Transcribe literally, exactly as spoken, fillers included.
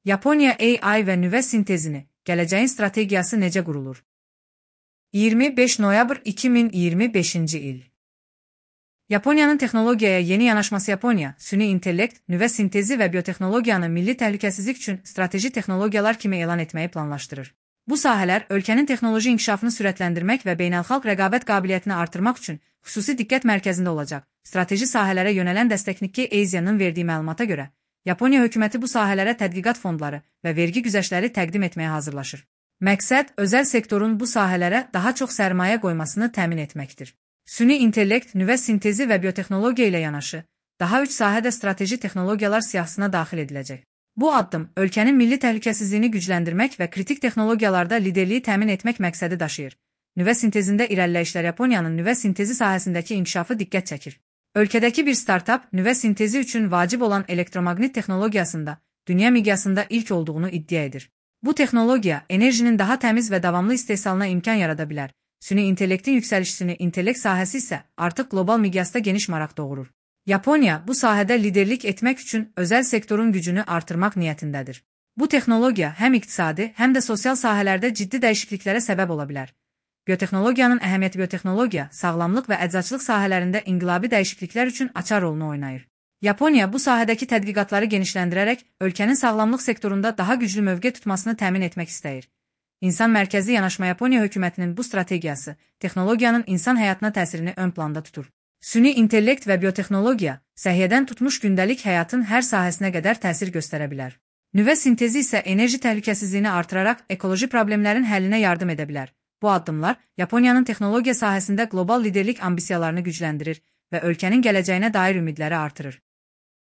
Yaponiya A I və nüvə sintezini, gələcəyin strategiyası necə qurulur? iyirmi beş noyabr iki min iyirmi beşinci il. Yaponiyanın texnologiyaya yeni yanaşması Yaponiya, süni intellekt, nüvə sintezi və biotexnologiyanı milli təhlükəsizlik üçün strateji texnologiyalar kimi elan etməyi planlaşdırır. Bu sahələr ölkənin texnoloji inkişafını sürətləndirmək və beynəlxalq rəqabət qabiliyyətini artırmaq üçün xüsusi diqqət mərkəzində olacaq. Strateji sahələrə yönələn dəstəkçi Asia'nın verdiyi məlumata görə, Yaponiya hökuməti bu sahələrə tədqiqat fondları və vergi güzəştləri təqdim etməyə hazırlaşır. Məqsəd, özəl sektorun bu sahələrə daha çox sərmayə qoymasını təmin etməkdir. Süni intellekt, nüvə sintezi və biotexnologiya ilə yanaşı, daha üç sahədə strateji texnologiyalar siyahısına daxil ediləcək. Bu addım, ölkənin milli təhlükəsizliyini gücləndirmək və kritik texnologiyalarda liderliyi təmin etmək məqsədi daşıyır. Nüvə sintezində irəliləyişlər Yaponiyanın nüvə sintezi sahəsindəki inkişafı diqqət çəkir. Ölkədəki bir startap, nüvə sintezi üçün vacib olan elektromaqnit texnologiyasında, dünya miqyasında ilk olduğunu iddia edir. Bu texnologiya, enerjinin daha təmiz və davamlı istehsalına imkan yarada bilər. Süni intellektin yüksəlişini, intellekt sahəsi isə artıq qlobal miqyasda geniş maraq doğurur. Yaponiya bu sahədə liderlik etmək üçün özəl sektorun gücünü artırmaq niyyətindədir. Bu texnologiya həm iqtisadi, həm də sosial sahələrdə ciddi dəyişikliklərə səbəb ola bilər. Biotexnologiyanın əhəmiyyəti biotexnologiya, sağlamlıq və əczaçılıq sahələrində inqilabi dəyişikliklər üçün açar rolunu oynayır. Yaponiya bu sahədəki tədqiqatları genişləndirərək ölkənin sağlamlıq sektorunda daha güclü mövqe tutmasını təmin etmək istəyir. İnsan mərkəzi yanaşma Yaponiya hökumətinin bu strategiyası texnologiyanın insan həyatına təsirini ön planda tutur. Süni intellekt və biotexnologiya səhiyyədən tutmuş gündəlik həyatın hər sahəsinə qədər təsir göstərə bilər. Nüvə sintezi isə enerji təhlükəsizliyini artıraraq ekoloji problemlərin həllinə yardım edə bilər. Bu addımlar Yaponiyanın texnologiya sahəsində qlobal liderlik ambisiyalarını gücləndirir və ölkənin gələcəyinə dair ümidləri artırır.